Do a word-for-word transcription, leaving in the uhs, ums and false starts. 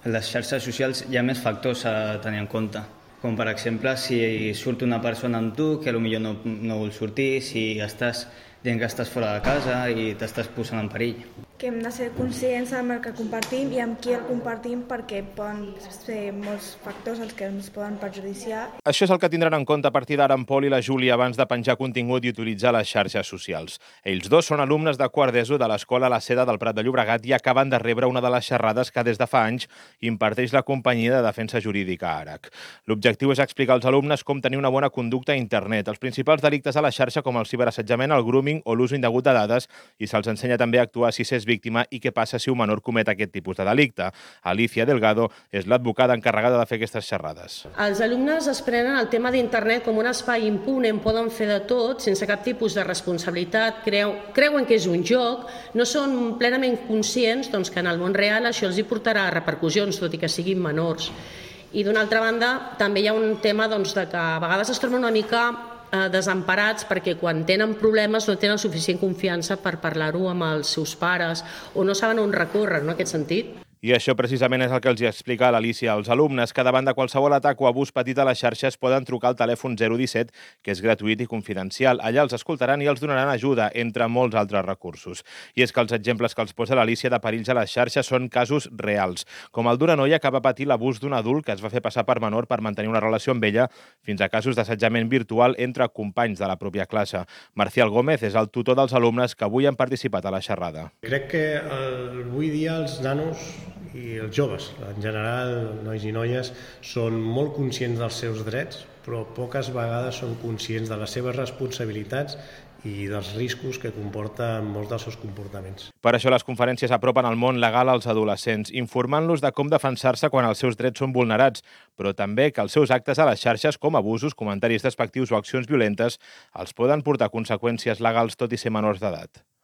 En les xarxes socials hi ha més factors a tenir en compte, com per exemple si surt una persona amb tu que potser no, no vol sortir, si estàs dient que estàs fora de casa i t'estàs posant en perill. Que hem de ser conscients amb el que compartim i amb qui el compartim perquè poden ser molts factors els que ens poden perjudiciar. Això és el que tindran en compte a partir d'ara en Pol i la Júlia abans de penjar contingut i utilitzar les xarxes socials. Ells dos són alumnes de quart d'ESO de l'Escola La Seda del Prat de Llobregat i acaben de rebre una de les xerrades que des de fa anys imparteix la companyia de defensa jurídica ARAC. L'objectiu és explicar als alumnes com tenir una bona conducta a internet, els principals delictes a la xarxa com el ciberassetjament, el grooming o l'ús indegut de dades, i se'ls ensenya també a actuar si s'és víctima i què passa si un menor comet aquest tipus de delicte. Alicia Delgado és l'advocada encarregada de fer aquestes xerrades. Els alumnes es prenen el tema d'internet com un espai impune on poden fer de tot, sense cap tipus de responsabilitat, creu, creuen que és un joc, no són plenament conscients doncs, que en el món real això els hi portarà repercussions, tot i que siguin menors. I d'una altra banda, també hi ha un tema doncs, de que a vegades es troben una mica desemparats perquè quan tenen problemes no tenen suficient confiança per parlar-ho amb els seus pares o no saben on recórrer, no, en aquest sentit. I això precisament és el que els explica l'Alicia. Els alumnes que davant de qualsevol atac o abús petit a les xarxes poden trucar al telèfon zero disset, que és gratuït i confidencial. Allà els escoltaran i els donaran ajuda, entre molts altres recursos. I és que els exemples que els posa l'Alicia de perills a les xarxes són casos reals, com el d'una noia que va patir l'abús d'un adult que es va fer passar per menor per mantenir una relació amb ella, fins a casos d'assetjament virtual entre companys de la pròpia classe. Marcial Gómez és el tutor dels alumnes que avui han participat a la xerrada. Crec que avui dia els nanos i els joves, en general, nois i noies, són molt conscients dels seus drets, però poques vegades són conscients de les seves responsabilitats i dels riscos que comporten molts dels seus comportaments. Per això les conferències apropen el món legal als adolescents, informant-los de com defensar-se quan els seus drets són vulnerats, però també que els seus actes a les xarxes, com abusos, comentaris despectius o accions violentes, els poden portar conseqüències legals tot i ser menors d'edat.